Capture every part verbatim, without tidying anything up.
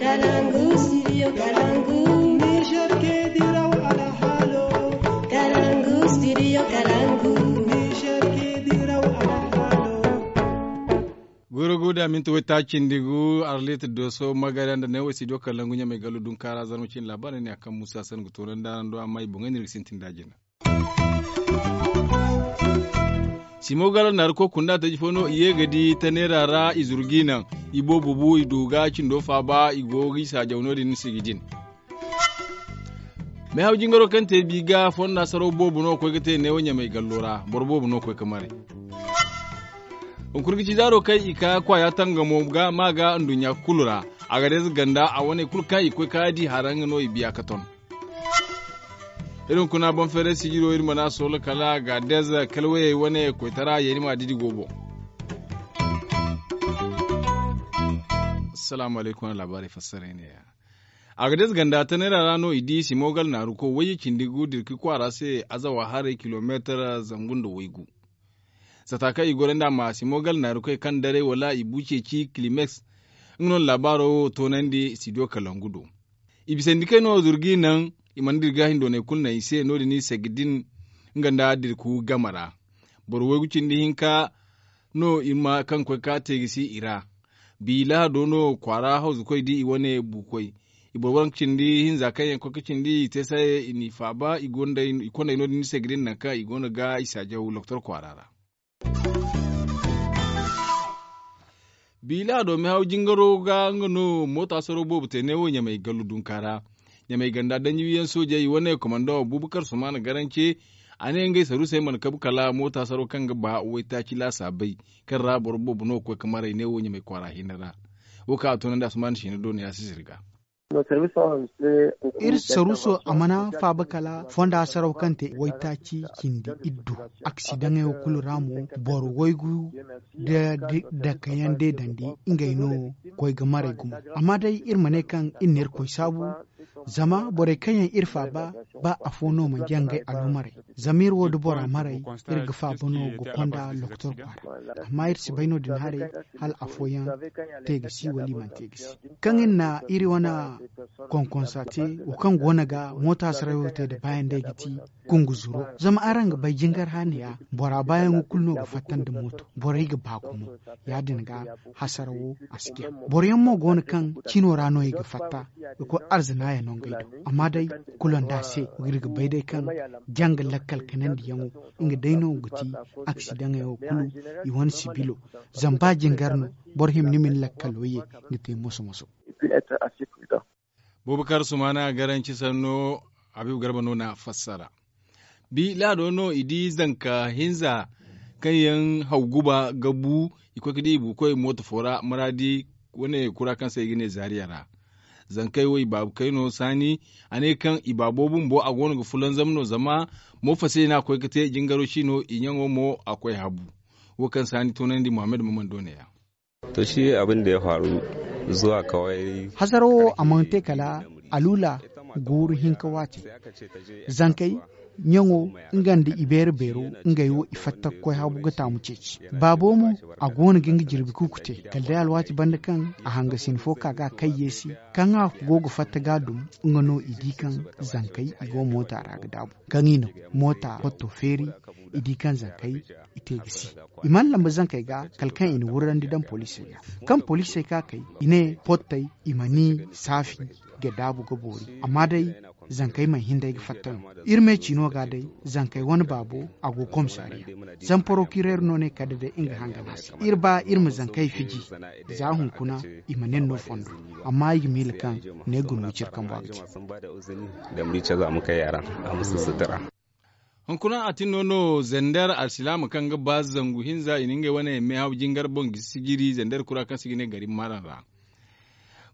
Kalangu studio kalangu. Niger ke diraw alhalo. Kalangu studio kalangu. Niger ke diraw alhalo. Goro guda minti wai ta cindi gu arlit doso magana da ne wai studio kalangu ɲamai gallu dun kara zarma cin labarai ne akan musa san ga tonan da nan do amma i boŋai ne ga sintin da jina. Simo gala naari ko kunda taji fo no i ye ga di ta neera ra i zuru ga i naŋ. I boobo bu i du ga cindo faaba i go ga i saajaw no- din sigi din. Meehaw jingaro kaŋ te bi ga fonda saraw boobo no ga koy ga te neewo ɲamay gallo ra boro boobo no ga koy ga maray. Hunkuna ga ci zaaro kaŋ i ka kwaaya tangamo ga ma ga nduɲɲa kulu ra. A ga deeza ganda a wane kulu kaŋ i ga koy ga di hara nga no i biya ga ton. Iri hunkuna boŋ feeray sijiro iri mana soola kala ga deeza kala wayey wane koytara yeeni ma didi go boŋ. Salaamu alaykum wane laabaarey fassaray ne-ya. A ga deeza ganda tanayra ra no i di simogal naaru ko wayye cindi gu dirki kwaara se azawa haray kilomeetar zangu nda waygu. Sata kaŋ i gorandi a ma simogal naaru koy kaŋ daray wala i bu ceeci kilimeks. Nga no na laabaaro wo toonandi sidiyo kalangu do. I bisandi kay no zuru ga i naŋ. I mana dira ga hindoonay kulu naŋ i se no- din i seg din nga nda dirku game ra. Boro waygu cindi hinka no i ma kaŋ koy ga te ga si i ra. Bi lahado no kwaara hawzukoy di i wane buukoy. I boro waranka cindi hinza kaŋ yaŋ koy ga cindi i te saye i n'i faaba i kondey no- din i seg din nangu kaŋ i go no ga i saajaw lokotor kwaara ra. Biila do mehaw jingaro ga nga no moota saro boobo te neewo ɲamay gallu dunka ra. Ɲamay ganda danji wiyaŋ soojey wane komandaŋo buubakar sumaana garance. A ne ngey saruusey mana kabu kala moota saro kaŋ ga ba waytaaci laasaabey kaŋ ra boro boobo no ga koy ga maray neewo ɲamay kwaara hinne ra. Wo kaŋ a toonandi asumaana siina do no ya sisiri ga. Iri saruuso a mana faaba kala fonda saraw kaŋ te waytaaci cindi iddu. Aksidaŋey wo kulu ra mo boro waygu da dakayaŋ de dandi. Ngey no koy ga maray gumo. Amma day iri ma ne kaŋ iri na irkoy saabu. Zama borey kaŋ yaŋ iri faaba ba afo no manci yaŋ ngey alumaray. Zama iri wo da bora maray iri ga faaba no ga konda lokotor kwaara. Amma iri si bay no- din haray hala afooyaŋ te ga si wala i mana te ga si. Kaŋ iri na iri wane konkonsa te wo kaŋ go no ga moota sarayo te nda baayaŋ day ga ti kungu zuro. Zama araŋ ga bay jingar haaniya bora baayaŋo kulu no ga fatta nda mooto borey ga ba gumo. Ya- din ga hasara wo a si jaŋ. Boro yaŋ mo go no kaŋ cino ra no i ga fatta ga koy arzina yaŋ no ngey do. Amma day kulu nda a se iri ga bay day kaŋ janga lakkal kanandiyaŋo nga day no ga ti aksidaŋey wo kulu. I wane sibilo zama ba jingar no boro hima ni ma ni lakkalo ye ga te moso moso. Bubakar sumana garanci sanno. Habibu garba no na fassara. Bi laado no i di zanka hinza kaŋ yaŋ haw guba ga bu. I koy ga di i bukoy mooto fo ra maraadi wane kura kaŋ se i ga ne zaariya ra. Zankey wo i baabu kayno saani a ne kaŋ i baabo bumbo a go no ga fulanzam no zama moofasey no a koy ga te jingaro si no i ɲaŋo mo a koy habu. Wo kaŋ saani toonandi muhammad maman do ne ya. To shi abin da ya faru zuwa kawai. Hazaro a mana te kala alula guuru hinka waati. Zankey ɲaŋo nga nda i beere beero ngey wo i fatta ga koy habu ga taamu ceeci. Baabo mo a go no ga nga jirbi kuuku te kala day alwaati banda kaŋ a hangasin fo ka ga a kay yeesi. Kaŋ a go ga fatta ga a dum nga no i di kaŋ zankey i go moota ra ga daabu kaŋ i na moota potto feeri. I di kaŋ zankey i te ga si. I mana lamba zankey ga kala kaŋ i na wurrandi daŋ poliisey ga. Kaŋ poliisey ka kay i ne pottey i ma ni saafi ga daabu ga boori. Amma day zankey mana hin day ga fatta no. Iri me ciino ga day zankey wane baabo a go komisariya. Zama porokireer no ne kala day nga hangana se iri ba iri ma zankey fiji. Za hunkuna i ma nen no fondo. Amma i ga miila kaŋ ne guna wicir kambo a ga ci. Hunkuna a tin no no zander alsilaama kaŋ ga ba zangu hinza i na ngey wane meehaw jingar boŋ ga sijiri zander kura kaŋ se i ga ne gari maran ra.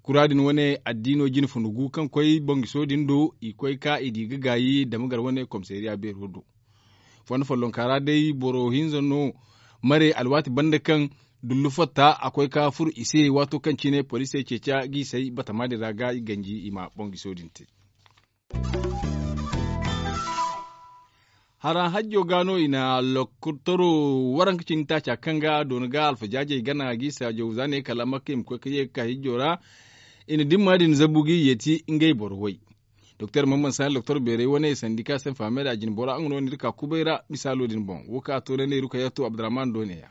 Kura din wane addiino jine funa gu kaŋ koy boŋ ga soodin do i koy ka i di ga gaayi dama gar wane komisariya beero do. Fondo follonka ra day boro hinza no mare alwaati banda kaŋ dullu fatta a koy ka furo i se waato kaŋ cine poliisey ceeci a ga i say batama din ra ga i ganji i ma boŋ ga soodin te. Hara hajjo ga no i na lokotoro waranka cindi taaca kaŋ ga doona ga alfajaajey gana ga i saajaw za ne kala makka i ma koy ga ye ga ka hijjo ra. I na dimma din zabu ga i yeeti ngey boro way. Doktor mamman sani doktor beeray wane sandika se fahamey da a jine bora nga no ni ga ka kubay ra misaalo din boŋ wo kaŋ a to ne ne ruka yatto abdurrahman do ne ya.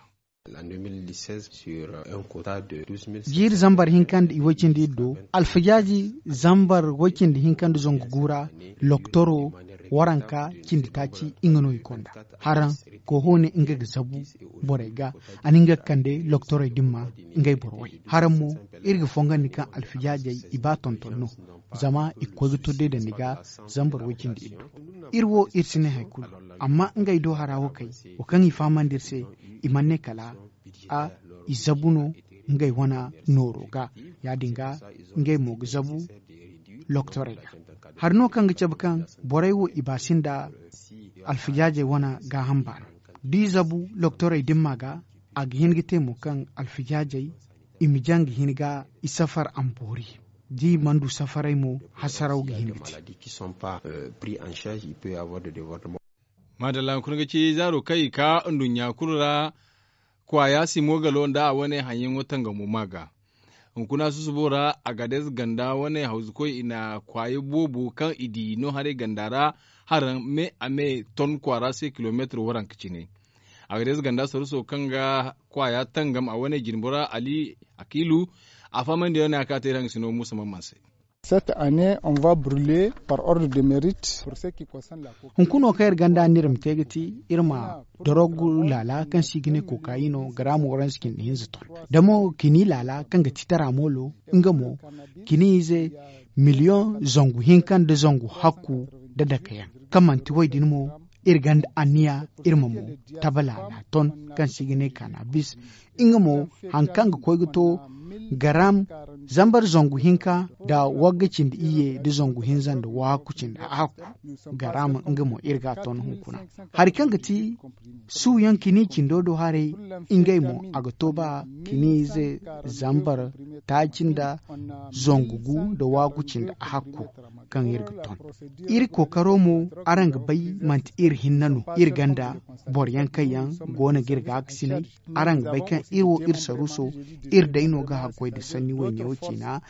Jiiri zambar hinka nda i way cindi iddo alfajaaji zambar way cindi hinka nda zangu gu ra loktoro waranka cindi taaci nga no i konda haraŋ. Koho ne nga ga zabu borey ga a na nga ga kande loktorey din ma ngey boro way haraŋ mo iri ga fongandi kaŋ alfijaajey i ba tonton no. Zama i ga koy ga to day dandi ga zambar way cindi iddo. Iri wo iri si ne hari kulu amma ngey do hara wo kay wo kaŋ i fahamandi iri se i mana ne kala a i zabu no ngey wane nooro ga ya- din ga ngey mo ga zabu loktorey ga. Hari no kaŋ ga cabe kaŋ borey wo i ba sinda alfijaajey wane gaaham baana da i zabu loktorey dimma ga a ga hin ga te mo kaŋ alfijaajey i ma jaŋ ga hin ga i safar amboori da i mana du safarey mo hasaraw ga hin ga te. Maadalla hunkuna ga ci zaaro kaŋ i ka nduɲɲa kulu ra. Kwaaya simo galo nda a wane haŋyaŋo tangamo ma ga hunkuna susubo ra a ga deeze ganda wane hawzukoy i na kwaaya boobo kaŋ i di no haray ganda ra haraŋ me a me ton kwaara se kilomeetir waranka cine. A ga deeze ganda saruso kaŋ ga kwaaya tangam a wane jinbora ali akiilu a fahamandi yaŋ ne a ka te iri haŋ ga sino muusa mamman se. Cette année on va brûler par ordre de mérite. Hunkuna wo kaŋ iri ganda no iri ma te ga ti iri ma dorogu laala kaŋ se i ga ne kokayi no garaamo waransa cindi hinza ton da mo kini laala kaŋ ga ti tara moolo nga mo kini ize miliyoŋ zangu hinka nda zangu hakku da dake yaŋ kaŋ manti wo- din mo iri gonda anniya iri ma mo tabala na ton kaŋ se i ga ne kaana bis. Nga mo hari kaŋ ga koy ga to garam zambar zangu hinka nda wagga cindi iyye nda zangu hinza nda wahakku cindi hakku. Garam nga mo iri ga a ton hunkuna hari kaŋ ga ti suuyaŋ kini cindo do haray ngey mo a ga to ba kini ize zambar taaci nda zangu gu nda wahakku cindi hakku kaŋ iri ga ton. Iri kookaro mo araŋ ga bay manti iri hinne no iri gonda boro yaŋ kaŋ yaŋ go no ga iri gaakasinay. Araŋ ga bay kaŋ iri wo iri saruuso iri day no ga hakkoy nda sanni wayne wo ciina.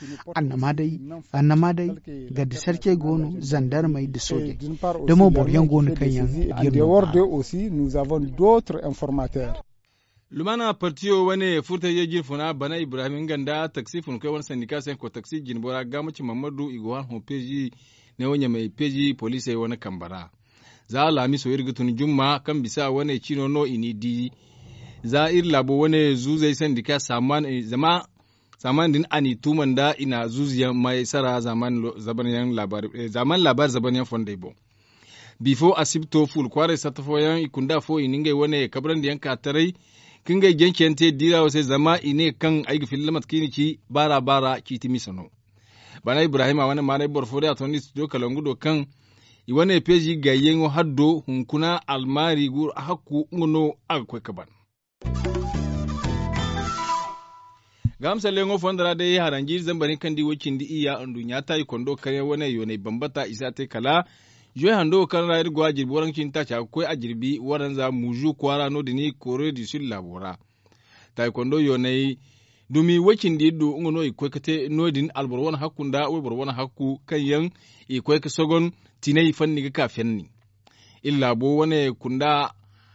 Annama day garda sarcey go no zandarmey nda soojey da mo boro yaŋ go no kaŋ yaŋ ga iri no. Lumana partiyo wane furtayzey jinfuna bana ibrahim nga nda taksi funkoy wane sandika se ko taksi jinbora gaamaci mammadu i go hã hõ peezi ne wo ɲamey peezi poliisey wane kambe ra. Za alhamiso iri ga tun jumma kaŋ bisa wane ciino no i n'i di. Za iri laabo wane zuuzey sandika saaman zama saaman din a n'i tuuma nda i na zuuzuyaŋ maysara zaaman laabaari zabanyaŋ fondey boŋ. Bifo asibto fuula kwaaray satta fooyaŋ i kunda fo i na ngey wane kabrandi yaŋ ka taray ka ngey janceyaŋ te diira wo se zama i ne kaŋ ay ga filla mate kaŋ i na ci baara baara ciiti misa no. Bana ibrahima wane maanay boro fo day a tondi studio kalangu do kaŋ i wane peezi gayyaŋo haddo hunkuna almaari guru a hakku nga no a ga koy ka ban. Gahamsalleŋo fondo ra day haranji zambar hinka nda i way cindi iyya nduɲɲa taayi kondo kaŋ yaŋ wane yoonay bambata i si a te kala. Zuwe hando wo kaŋ ra iri go a jirbi waranka cindi taaca ga koy a jirbi waranza muzu kwaara no- din i koore du sul laabo ra. Taayi kondo yoonay dumi way cindi iddu nga no i ga koy ga te no- din alboro wane hakku nda wayboro wane hakku kaŋ yaŋ i ga koy ga sogon tinay fanni ga ka fenni. Iri laabo wane kunda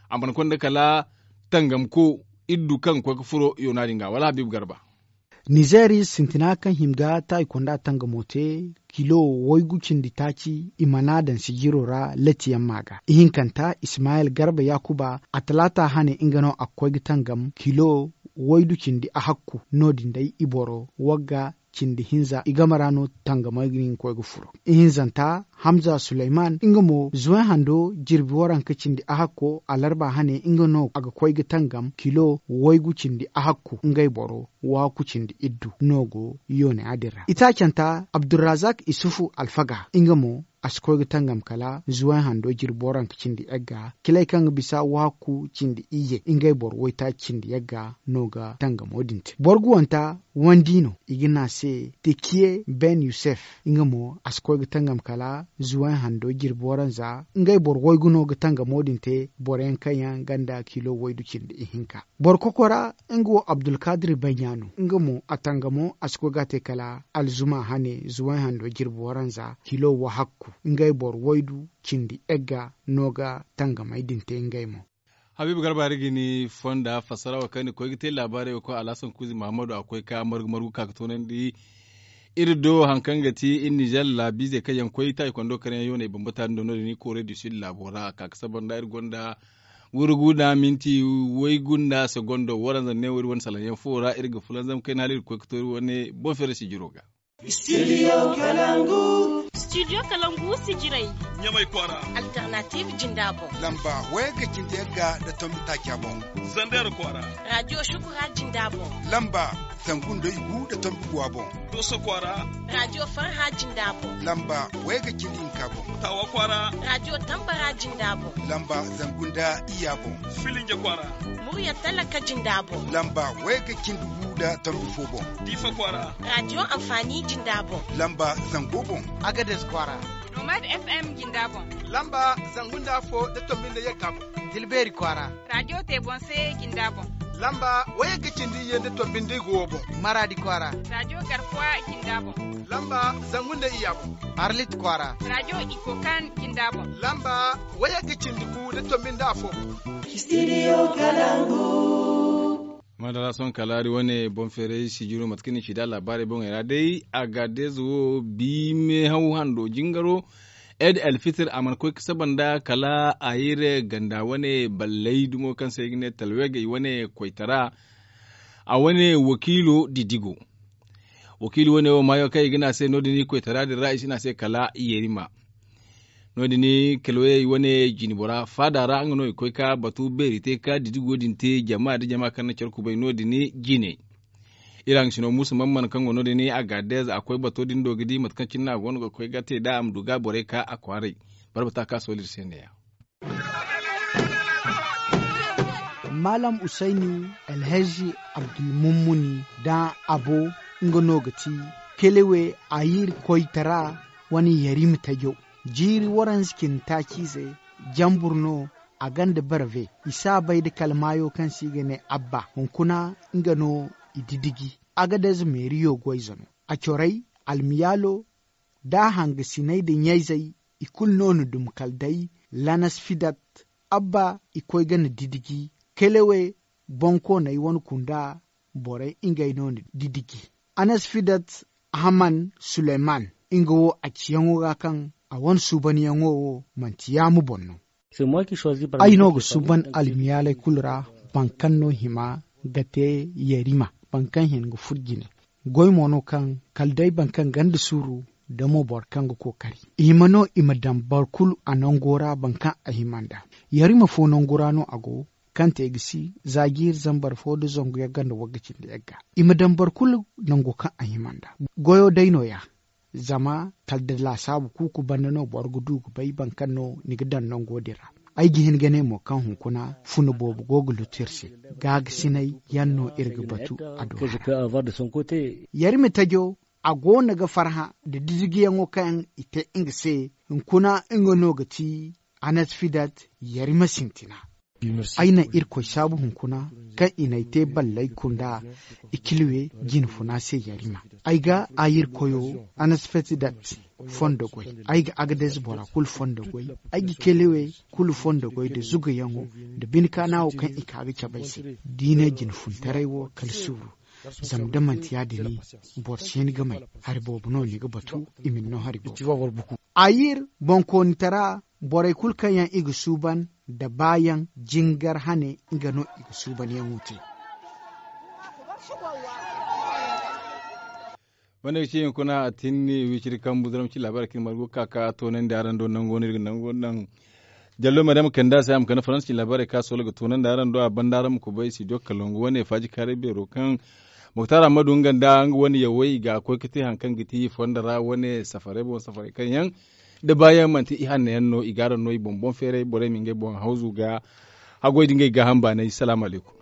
a mana konda kala tangamko iddu kaŋ ga koy ga furo yoona din ga wala habiibu garba. Nizeeri sintina kaŋ hima ga taayi konda tangamo te kilo waygu cindi taaci i mana daŋ sijiro ra latiyaŋ ma ga ihinkanta ismayil garba yaakuba a talaata hane nga no a ga koy ga tangam kilo waydu cindi a hakku no- din day i boro wagga cindi hinza i game ra no tangamey ga hin ga koy ga furo. Ihinzanta hamza suleyman nga mo zuwey hando jirbi waranka cindi ahakko alarba hane nga no a ga koy ga tangam kilo waygu cindi ahakku ngey boro waaku cindi iddu no go yoone yaadin ra itaacanta abdurrazak isufu alfaga nga mo a si koy ga tangam kala zuway hando jirbi waranka cindi yagga. Kilay kaŋ ga bisa wahakku cindi iyye ngey boro waytaaci cindi yagga no ga tangamo din te. Boro ga wanta wandi no i ga ne a se tekiye ben yusef, nga mo a si koy ga tangam kala zuway hando jirbi waranza. Ngey boro waygu no ga tangamo din te boro yaŋ kaŋ yaŋ ganda kilo waydu cindi ihinka. Boro kokora nga wo abdulkadir banya no nga mo a tangamo a si koy ga a te kala alzuma hane zuway hando jirbi waranza kilo wahakku. Ngey boro waydu cindi yagga no ga tangamey din te ngey mo. Habiibu garba hari ga ni fonda fassara wo kaŋ ni koy ga te laabaarey wo koy alhasan kuuzi mahammadu a koy ka margu margu ka ga toonandi. Iri do hari kaŋ ga ti iri nizer laabiizey kaŋ yaŋ koy taaci kondo kar yaŋ yooney bambata din do no- din iri koorey du sud laabo ra a ka ga saba nda iri gonda wurgu nda minti waygu nda segondo waranza ne wo iri wane salaŋ yaŋ fo ra iri ga fulanzam kayna hala iri ga koy ga to iri wane boŋ feere sijiro ga. Studio kalangu. Studio kalangu sijiray. Ɲamay kwaara. Alternative jinda boŋ. Lamba wayga cindi yagga nda tombi taaca boŋ. Zander kwaara. Radio shukura jinda boŋ. Lamba zangu nda igu nda tombi guwa boŋ. Doso kwaara. Radio farha jinda boŋ. Lamba wayga cindi hinka boŋ. Tawa kwaara. Radio tambara jinda boŋ. Lamba zangu nda iyya boŋ. Filinja kwaara. Murya talaka jinda boŋ. Lamba wayga cindi gu nda tombi fo boŋ. Diifa kwaara. Radio amfani jinda boŋ. Lamba zango boŋ. Agades kwaara. Nomad fm jinda boŋ. Lamba zangu nda afo nda tombi nda yagga boŋ. Tilbeeri kwaara. Radio te boŋ se jinda boŋ. Lamba wayagga cindi iyye nda tombi nda igu wo boŋ. Maradi kwaara. Radio garkuwa jinda boŋ. Lamba zangu nda iyya boŋ. Arlit kwaara. Radio ikokan jinda boŋ. Lamba wayagga cindi gu nda tombi nda afo boŋ. Studio kalangu. Madara sohõ kala iri wane boŋ feeray sijiro mate kaŋ ni ci da laabaarey boŋey ra day a ga deeze wo biime haw hando jingaro. Ed alfitir a mana koy ga saba nda kala a iri ganda wane balley dumo kaŋ se i ga ne talwegey wane koytara. A wane wakiilo didigo wakiili wane wo maayo kaŋ i ga ne a se no- din i koytara din ra i si ne a se kala yerima. No- din kalwayey wane jinbora faada ra nga no i koy ka batu beeri te ka didigo din te jama nda jama kaŋ na care kubay no- din jine. Iri haŋ sino muusa man man kaŋ go no- din a ga deeza a koy bato din do ga di mate kaŋ cine no a go no ga koy ga te nd'a a ma du ga borey ka a kwaaray. Barbata ka sooli iri se ne- ya. Maalam usayni, alhazi abdulmummuni, da abo, nga no ga ti kelewe a yiri koytara wane yarima tajo. Jiiri waranza cindi taaci ize jambur no a gonda barve. I si a bay nda kala maayo kaŋ se i ga ne abba hunkuna, nga no i didiji. Agadez meeriyo goy zano a corey, almiyaalo, da hangasiney nda ɲayzey, i kulu no na dum kala day lanas fidat. Abba i koy ga na didiji kelewe, bonkooney wane kunda borey ngey no na didiji. Anas fidat, ahman suleyman, nga wo a ciyaŋo ga kaŋ a wane suubanyaŋo wo manti yaama boŋ no. Ay no ga suuban almiyaaley kulu ra, boro kaŋ no hima ga te yarima, boro kaŋ hin ga furo jine. Goy mo no kaŋ kala day boro kaŋ gonda suuru, da mo boro kaŋ ga kookari. I hima no i ma daŋ boro kulu a nango ra boro kaŋ a hima nd'a. Yarima fo nangu ra no a go, kaŋ te ga si za jiiri zambar fo nda zangu yagga nda wagga cindi yagga. I ma daŋ boro kulu nango kaŋ a hima nd'a. Goyo day no- ya. Zama kala da laasaabu kuuku banda no boro ga du ga bay boro kaŋ no ni ga daŋ nango din ra. Ay ga hin ga ne mo kaŋ hunkuna funa boobo go ga lutu iri se. Gaagasinay yaŋ no iri ga batu a do hara. Yarima tajo a go no ga farhã nda didijiyaŋo kaŋ i te nga se. Hunkuna nga no ga ti anas fidat yarima sintina. Ay na irkoy saabu hunkuna kaŋ i n'ay te ballay kunda ikilwe jinfuna se yarima. Ay ga ayir koyo anas fetidat fondo goy. Ay ga agadez bora kulu fondo goy. Ay ga kelewe kulu fondo goy nda zugayaŋo nda binkanawo kaŋ i ka ga cabe ay se. Diine jinfuntaray wo kala suuru. Zama da manti ya- din boro si hin ga may. Hari boobo no ni ga batu i ma ni no hari boobo. Ayir bonkoonitara borey kulu kaŋ yaŋ i ga suuban nda baayaŋ jingar hane nga no i ga suubanyaŋo te. Wane ga ci hunkuna a tinni wiciri kambu zaramci laabaarey kaŋ iri margu ga ka ka toonandi araŋ do nango no iri ga nango naŋ. Jallo maryam kande a se a ma kande faransa ci laabaarey kaŋ a soola ga toonandi araŋ do a banda araŋ ma kubay studio kalongo wane faaji kaaray beero kaŋ muktar ammadu nga nda nga wane yawey i ga koy ga te hari kaŋ ga ti fondo ra wane safarey boŋ safarey kaŋ yaŋ Da baayaŋ manti i hanno yaŋ no i ga araŋ no i boŋ boŋ feeray borey ma ngey boŋ hawzu ga haggoy da ngey gaaham baanay salaamu alaykum.